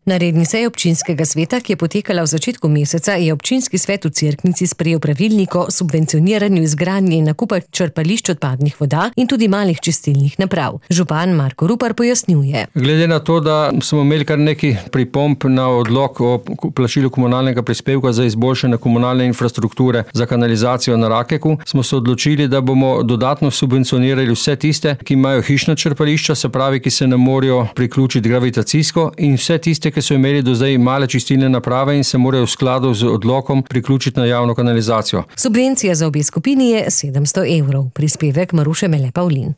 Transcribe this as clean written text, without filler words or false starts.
Na redni seji občinskega sveta, ki je potekala v začetku meseca, je občinski svet v Cerknici sprejel pravilnik o subvencioniranju izgradnje in nakupa črpališč odpadnih voda in tudi malih čistilnih naprav. Župan Marko Rupar pojasnjuje. Glede na to, da smo imeli kar nekaj pripomb na odlok o plačilu komunalnega prispevka za izboljšanje komunalne infrastrukture za kanalizacijo na Rakeku, smo se odločili, da bomo dodatno subvencionirali vse tiste, ki imajo hišna črpališča, se pravi, ki se ne morejo priključiti gravitacijsko, in vse tiste, ki so imeli do zdaj male čistilne naprave in se morajo v skladu z odlokom priključiti na javno kanalizacijo. Subvencija za obe skupini je 700 €. Prispevek Maruše Mele Pavlin.